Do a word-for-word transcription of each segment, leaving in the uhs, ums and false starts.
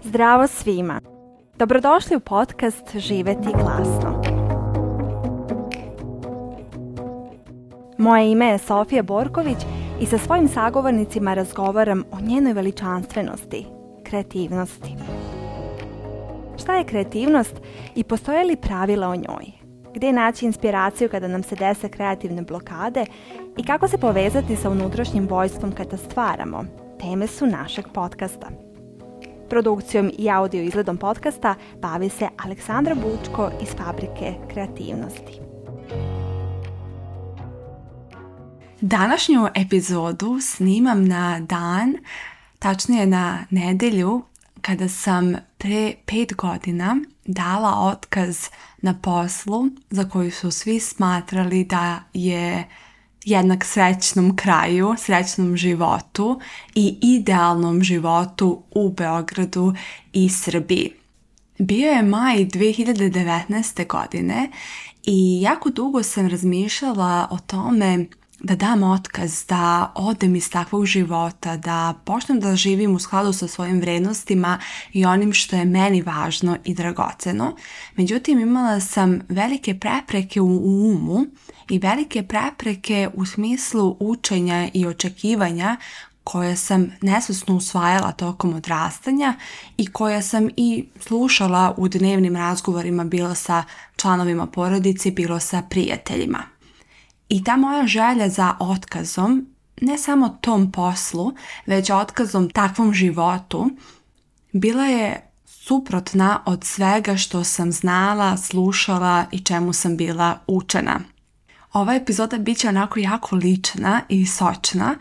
Zdravo svima! Dobrodošli u podcast Živjeti glasno. Moje ime je Sofija Borković i sa svojim sagovornicima razgovaram o njenoj veličanstvenosti, kreativnosti. Šta je kreativnost i postoje li pravila o njoj? Gdje naći inspiraciju kada nam se dese kreativne blokade i kako se povezati sa unutrašnjim vojstvom kada stvaramo? Teme su našeg podcasta. Produkcijom i audio izgledom podcasta bavi se Aleksandra Bučko iz Fabrike kreativnosti. Današnju epizodu snimam na dan, tačnije na nedjelju, kada sam pre pet godina dala otkaz na poslu za koju su svi smatrali da je jednak srećnom kraju, srećnom životu i idealnom životu u Beogradu i Srbiji. Bio je maj dvije hiljade devetnaeste. godine i jako dugo sam razmišljala o tome da dam otkaz, da odem iz takvog života, da počnem da živim u skladu sa svojim vrednostima i onim što je meni važno i dragoceno. Međutim, imala sam velike prepreke u umu i velike prepreke u smislu učenja i očekivanja koje sam nesvjesno usvajala tokom odrastanja i koje sam i slušala u dnevnim razgovorima, bilo sa članovima porodice, bilo sa prijateljima. I ta moja želja za otkazom, ne samo tom poslu, već otkazom takvom životu, bila je suprotna od svega što sam znala, slušala i čemu sam bila učena. Ova epizoda bit će onako jako lična i sočna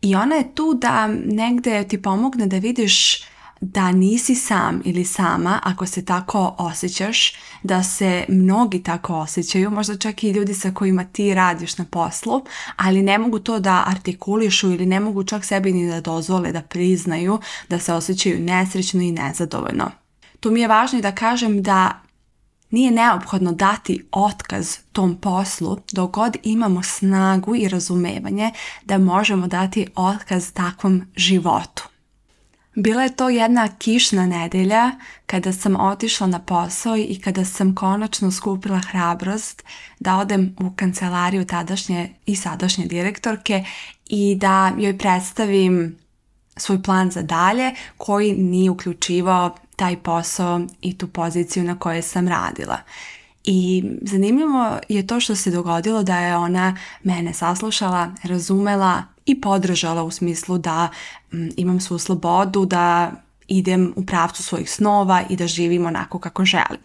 i ona je tu da negdje ti pomogne da vidiš da nisi sam ili sama ako se tako osjećaš, da se mnogi tako osjećaju, možda čak i ljudi sa kojima ti radiš na poslu, ali ne mogu to da artikulišu ili ne mogu čak sebi ni da dozvole da priznaju da se osjećaju nesrećno i nezadovoljno. Tu mi je važno i da kažem da nije neophodno dati otkaz tom poslu dok god imamo snagu i razumevanje da možemo dati otkaz takvom životu. Bila je to jedna kišna nedelja kada sam otišla na posao i kada sam konačno skupila hrabrost da odem u kancelariju tadašnje i sadašnje direktorke i da joj predstavim svoj plan za dalje koji nije uključivao taj posao i tu poziciju na kojoj sam radila. I zanimljivo je to što se dogodilo da je ona mene saslušala, razumela i podržala u smislu da m, imam svu slobodu, da idem u pravcu svojih snova i da živim onako kako želim.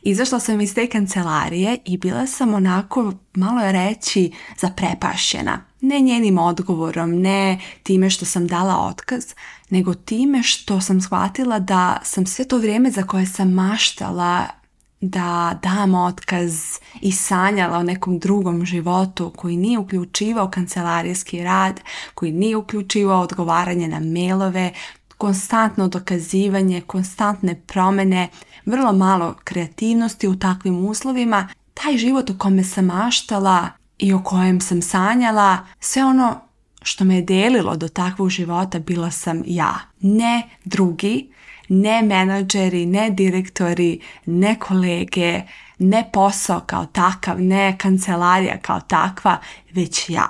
Izašla sam iz te kancelarije i bila sam onako, malo je reći, zaprepašćena. Ne njenim odgovorom, ne time što sam dala otkaz, nego time što sam shvatila da sam sve to vrijeme za koje sam maštala da dam otkaz i sanjala o nekom drugom životu koji nije uključivao kancelarijski rad, koji nije uključivao odgovaranje na mailove, konstantno dokazivanje, konstantne promjene, vrlo malo kreativnosti u takvim uslovima. Taj život o kome sam maštala i o kojem sam sanjala, sve ono što me je delilo do takvog života bila sam ja, ne drugi, ne menadžeri, ne direktori, ne kolege, ne posao kao takav, ne kancelarija kao takva, već ja.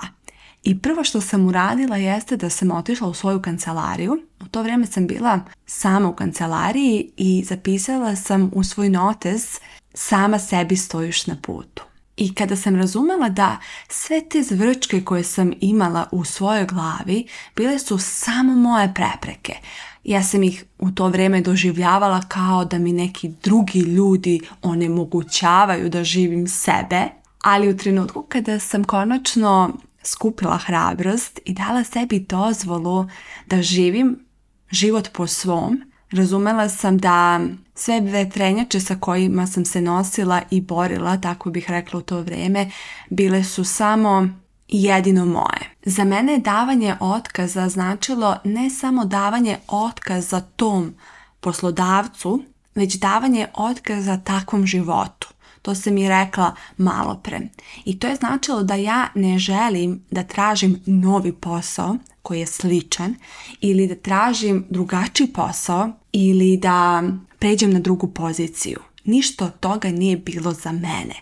I prvo što sam uradila jeste da sam otišla u svoju kancelariju. U to vrijeme sam bila sama u kancelariji i zapisala sam u svoj notes sama sebi stojiš na putu. I kada sam razumela da sve te zvrčke koje sam imala u svojoj glavi bile su samo moje prepreke. Ja sam ih u to vrijeme doživljavala kao da mi neki drugi ljudi onemogućavaju da živim sebe, ali u trenutku kada sam konačno skupila hrabrost i dala sebi dozvolu da živim život po svom, razumela sam da sve vetrenjače sa kojima sam se nosila i borila, tako bih rekla u to vrijeme, bile su samo jedino moje. Za mene je davanje otkaza značilo ne samo davanje otkaza tom poslodavcu, već davanje otkaza takvom životu. To sam mi rekla malo pre. I to je značilo da ja ne želim da tražim novi posao koji je sličan ili da tražim drugačiji posao ili da pređem na drugu poziciju. Ništa od toga nije bilo za mene.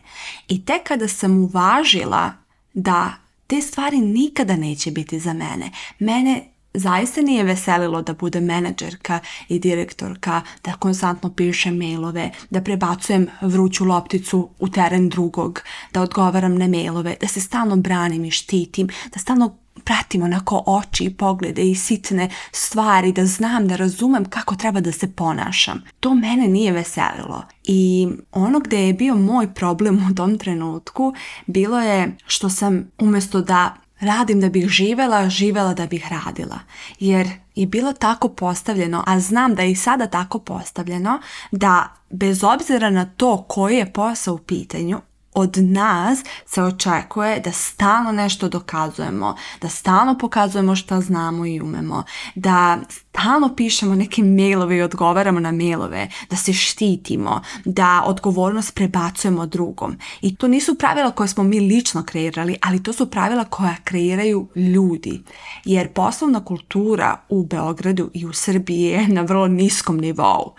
I tek kada sam uvažila da te stvari nikada neće biti za mene, mene zaista nije veselilo da budem menadžerka i direktorka, da konstantno pišem mailove, da prebacujem vruću lopticu u teren drugog, da odgovaram na mailove, da se stalno branim i štitim, da stalno pratim onako oči i poglede i sitne stvari, da znam, da razumem kako treba da se ponašam. To mene nije veselilo. I ono gdje je bio moj problem u tom trenutku bilo je što sam umjesto da radim da bih živjela, živjela da bih radila. Jer je bilo tako postavljeno, a znam da je i sada tako postavljeno, da bez obzira na to koji je posao u pitanju, od nas se očekuje da stalno nešto dokazujemo, da stalno pokazujemo šta znamo i umemo, da stalno pišemo neke mailove i odgovaramo na mailove, da se štitimo, da odgovornost prebacujemo drugom. I to nisu pravila koje smo mi lično kreirali, ali to su pravila koja kreiraju ljudi. Jer poslovna kultura u Beogradu i u Srbiji je na vrlo niskom nivou.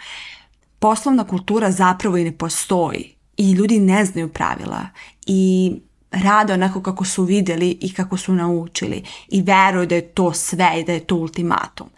Poslovna kultura zapravo i ne postoji. I ljudi ne znaju pravila i rade onako kako su vidjeli i kako su naučili i veruju da je to sve i da je to ultimatum.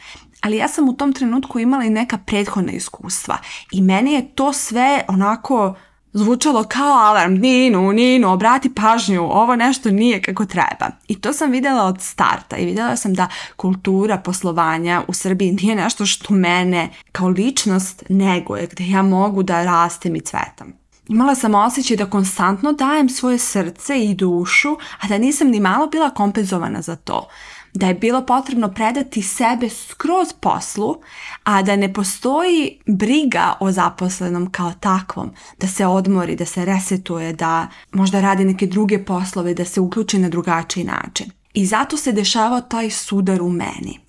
Ali ja sam u tom trenutku imala i neka prethodna iskustva i meni je to sve onako zvučalo kao alarm. Ninu, Ninu, obrati pažnju, ovo nešto nije kako treba. I to sam vidjela od starta i vidjela sam da kultura poslovanja u Srbiji nije nešto što mene kao ličnost neguje, gdje ja mogu da rastem i cvetam. Imala sam osjećaj da konstantno dajem svoje srce i dušu, a da nisam ni malo bila kompenzovana za to. Da je bilo potrebno predati sebe skroz poslu, a da ne postoji briga o zaposlenom kao takvom. Da se odmori, da se resetuje, da možda radi neke druge poslove, da se uključi na drugačiji način. I zato se dešavao taj sudar u meni.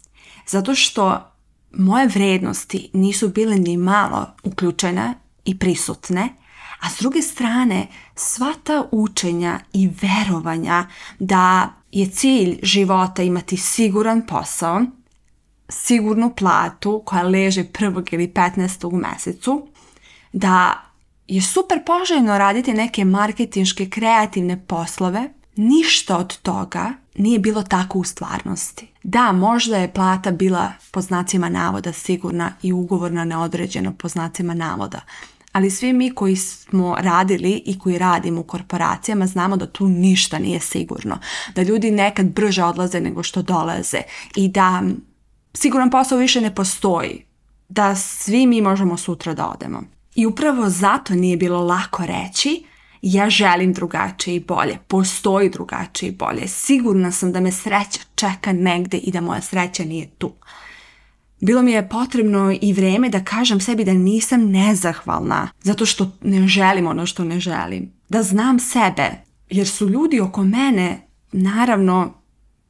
Zato što moje vrednosti nisu bile ni malo uključene i prisutne, a s druge strane, sva ta učenja i verovanja da je cilj života imati siguran posao, sigurnu platu koja leže prvog ili petnaestog u mesecu, da je super poželjno raditi neke marketinške kreativne poslove, ništa od toga nije bilo tako u stvarnosti. Da, možda je plata bila po znacima navoda sigurna i ugovor na neodređeno po znacima navoda, ali svi mi koji smo radili i koji radimo u korporacijama znamo da tu ništa nije sigurno. Da ljudi nekad brže odlaze nego što dolaze i da siguran posao više ne postoji. Da svi mi možemo sutra da odemo. I upravo zato nije bilo lako reći ja želim drugačije i bolje. Postoji drugačije i bolje. Sigurna sam da me sreća čeka negde i da moja sreća nije tu. Bilo mi je potrebno i vrijeme da kažem sebi da nisam nezahvalna zato što ne želim ono što ne želim. Da znam sebe, jer su ljudi oko mene, naravno,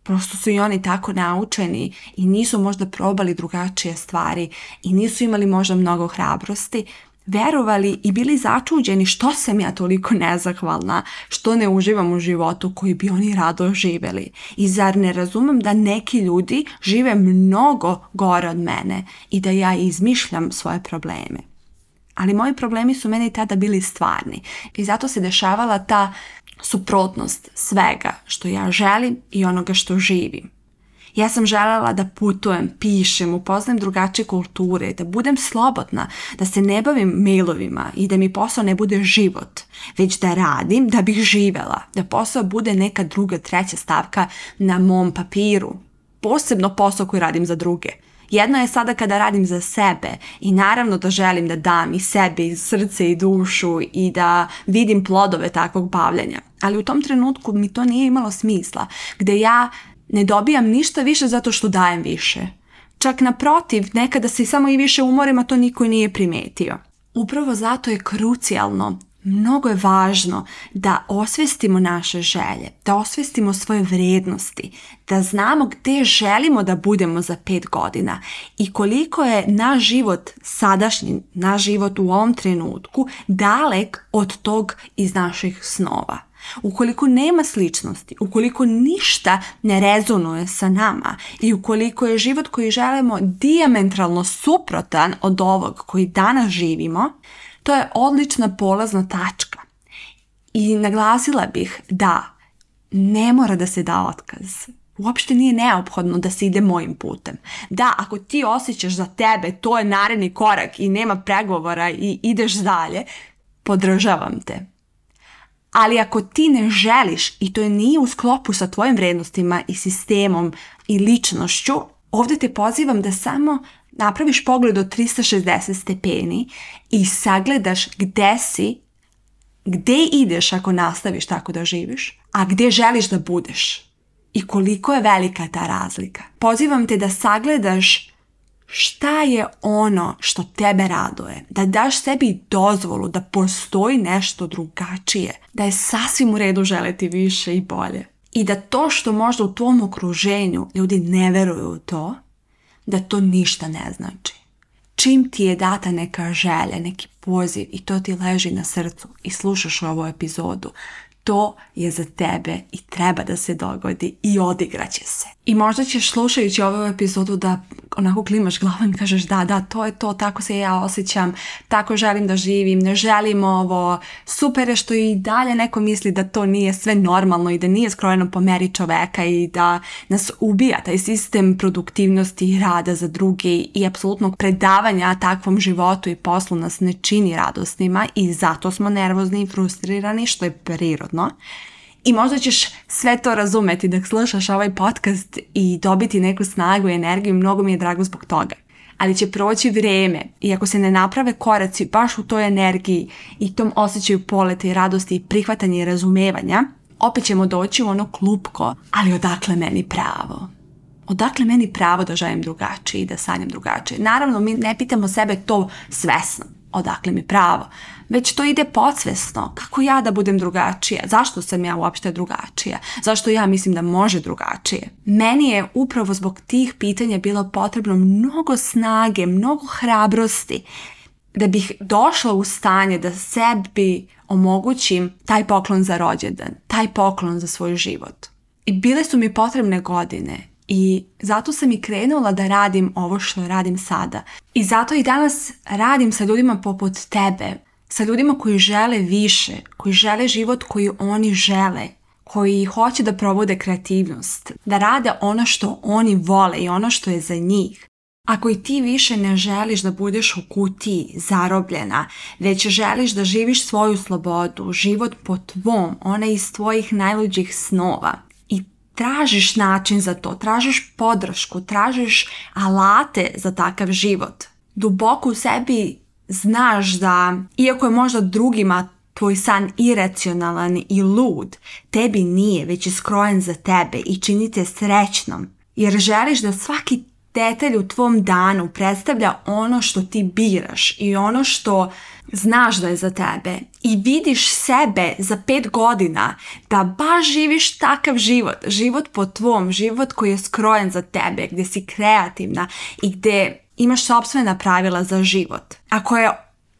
prosto su i oni tako naučeni i nisu možda probali drugačije stvari i nisu imali možda mnogo hrabrosti, verovali i bili začuđeni što sam ja toliko nezahvalna, što ne uživam u životu koji bi oni rado živjeli. I zar ne razumem da neki ljudi žive mnogo gore od mene i da ja izmišljam svoje probleme. Ali moji problemi su meni tada bili stvarni i zato se dešavala ta suprotnost svega što ja želim i onoga što živim. Ja sam željela da putujem, pišem, upoznajem drugačije kulture, da budem slobodna, da se ne bavim mailovima i da mi posao ne bude život, već da radim da bih živjela, da posao bude neka druga, treća stavka na mom papiru. Posebno posao koji radim za druge. Jedno je sada kada radim za sebe i naravno da želim da dam i sebi, i srce i dušu i da vidim plodove takvog bavljenja. Ali u tom trenutku mi to nije imalo smisla, gde ja ne dobijam ništa više zato što dajem više. Čak naprotiv, nekada se samo i više umorim, a to niko i nije primetio. Upravo zato je krucijalno mnogo je važno da osvestimo naše želje, da osvestimo svoje vrijednosti, da znamo gdje želimo da budemo za pet godina i koliko je naš život sadašnji, naš život u ovom trenutku dalek od tog iz naših snova. Ukoliko nema sličnosti, ukoliko ništa ne rezonuje sa nama i ukoliko je život koji želimo dijametralno suprotan od ovog koji danas živimo, to je odlična polazna tačka. I naglasila bih da ne mora da se da otkaz. Uopšte nije neophodno da se ide mojim putem. Da, ako ti osjećaš za tebe, to je naredni korak i nema pregovora i ideš dalje, podržavam te. Ali ako ti ne želiš i to nije u sklopu sa tvojim vrednostima i sistemom i ličnošću, ovdje te pozivam da samo napraviš pogled od trista šezdeset stepeni i sagledaš gde si, gde ideš ako nastaviš tako da živiš, a gde želiš da budeš i koliko je velika ta razlika. Pozivam te da sagledaš šta je ono što tebe raduje, da daš sebi dozvolu da postoji nešto drugačije, da je sasvim u redu želeti više i bolje. I da to što možda u tvom okruženju ljudi ne veruju u to, da to ništa ne znači. Čim ti je data neka želja, neki poziv i to ti leži na srcu i slušaš ovu epizodu, to je za tebe i treba da se dogodi i odigraće se. I možda ćeš slušajući ovu epizodu da onako klimaš glavom i kažeš da, da, to je to, tako se ja osjećam, tako želim da živim, ne želim ovo, super je što i dalje neko misli da to nije sve normalno i da nije skrojeno po meri čoveka i da nas ubija taj sistem produktivnosti i rada za druge i apsolutnog predavanja takvom životu i poslu nas ne čini radosnima i zato smo nervozni i frustrirani, što je prirodno. I možda ćeš sve to razumeti dok slušaš ovaj podcast i dobiti neku snagu i energiju, mnogo mi je drago zbog toga. Ali će proći vrijeme i ako se ne naprave koraci baš u toj energiji i tom osjećaju poleta i radosti i prihvatanja i razumevanja, opet ćemo doći u ono klupko, ali odakle meni pravo? Odakle meni pravo da želim drugačije i da sanjam drugačije? Naravno, mi ne pitamo sebe to svesno. Odakle mi pravo? Već to ide podsvesno. Kako ja da budem drugačija? Zašto sam ja uopšte drugačija? Zašto ja mislim da može drugačije? Meni je upravo zbog tih pitanja bilo potrebno mnogo snage, mnogo hrabrosti da bih došla u stanje da sebi omogućim taj poklon za rođendan, taj poklon za svoj život. I bile su mi potrebne godine. I zato sam i krenula da radim ovo što radim sada. I zato i danas radim sa ljudima poput tebe, sa ljudima koji žele više, koji žele život koji oni žele, koji hoće da provode kreativnost, da rade ono što oni vole i ono što je za njih. Ako i ti više ne želiš da budeš u kutiji zarobljena, već želiš da živiš svoju slobodu, život po tvom, onaj iz tvojih najluđih snova, tražiš način za to, tražiš podršku, tražiš alate za takav život. Duboko u sebi znaš da, iako je možda drugima tvoj san iracionalan i lud, tebi nije, već je skrojen za tebe i čini te srećnom. Jer želiš da svaki detalj u tvom danu predstavlja ono što ti biraš i ono što znaš da je za tebe i vidiš sebe za pet godina da baš živiš takav život, život po tvom, život koji je skrojen za tebe, gdje si kreativna i gdje imaš sopstvena pravila za život. Ako je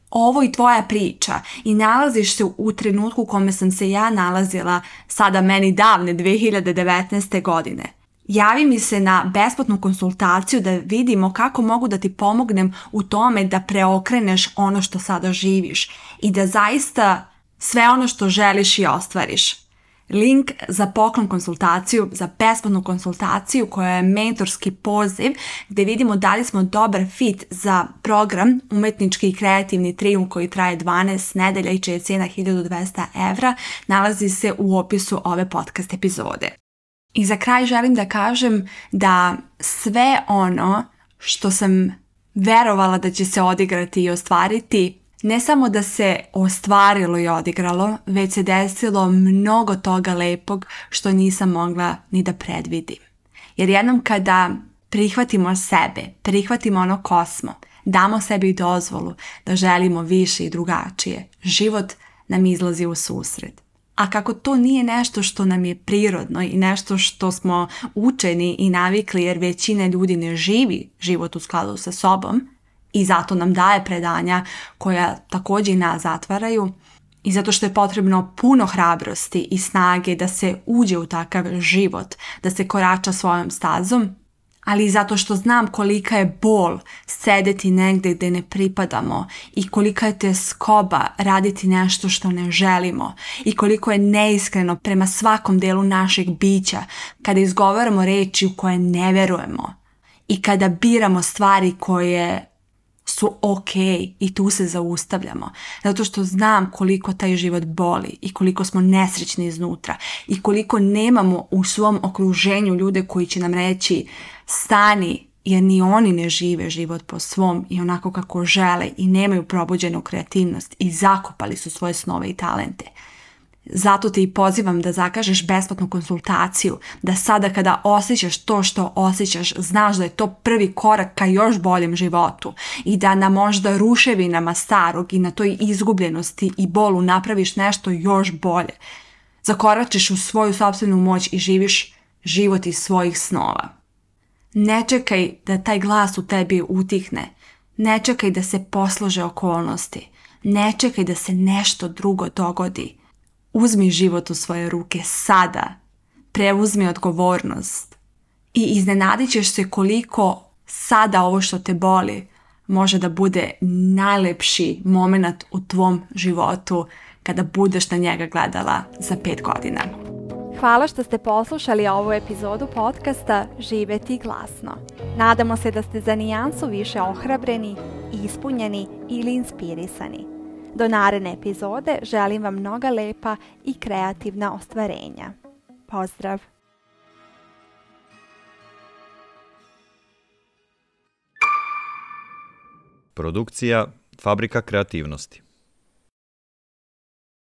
ovo i tvoja priča i nalaziš se u trenutku u kome sam se ja nalazila sada meni davne dve hiljade devetnaeste. godine, javi mi se na besplatnu konsultaciju da vidimo kako mogu da ti pomognem u tome da preokreneš ono što sada živiš i da zaista sve ono što želiš i ostvariš. Link za poklon konsultaciju, za besplatnu konsultaciju koja je mentorski poziv gdje vidimo da li smo dobar fit za program Umetnički i kreativni trijumf koji traje dvanaest nedelja i čija je cijena hiljadu dvesta evra, nalazi se u opisu ove podcast epizode. I za kraj želim da kažem da sve ono što sam verovala da će se odigrati i ostvariti, ne samo da se ostvarilo i odigralo, već se desilo mnogo toga lepog što nisam mogla ni da predvidim. Jer jednom kada prihvatimo sebe, prihvatimo ono ko smo, damo sebi dozvolu da želimo više i drugačije, život nam izlazi u susret. A kako to nije nešto što nam je prirodno i nešto što smo učeni i navikli jer većina ljudi ne živi život u skladu sa sobom i zato nam daje predanja koja također i nas zatvaraju i zato što je potrebno puno hrabrosti i snage da se uđe u takav život, da se korača svojom stazom, ali i zato što znam kolika je bol sedeti negdje gdje ne pripadamo i kolika je tjeskoba raditi nešto što ne želimo i koliko je neiskreno prema svakom delu našeg bića kada izgovaramo reči u koje ne verujemo i kada biramo stvari koje su ok i tu se zaustavljamo. Zato što znam koliko taj život boli i koliko smo nesrećni iznutra i koliko nemamo u svom okruženju ljude koji će nam reći stani, jer ni oni ne žive život po svom i onako kako žele i nemaju probuđenu kreativnost i zakopali su svoje snove i talente. Zato te i pozivam da zakažeš besplatnu konsultaciju, da sada kada osjećaš to što osjećaš, znaš da je to prvi korak ka još boljem životu i da na možda ruševinama starog i na toj izgubljenosti i bolu napraviš nešto još bolje. Zakoračiš u svoju sopstvenu moć i živiš život iz svojih snova. Ne čekaj da taj glas u tebi utihne. Ne čekaj da se poslože okolnosti. Ne čekaj da se nešto drugo dogodi. Uzmi život u svoje ruke sada. Preuzmi odgovornost. I iznenadit ćeš se koliko sada ovo što te boli može da bude najlepši moment u tvom životu kada budeš na njega gledala za pet godina. Hvala što ste poslušali ovu epizodu podcasta Živjeti glasno. Nadamo se da ste za nijansu više ohrabreni, ispunjeni ili inspirisani. Do naredne epizode želim vam mnoga lepa i kreativna ostvarenja. Pozdrav! Produkcija Fabrika kreativnosti.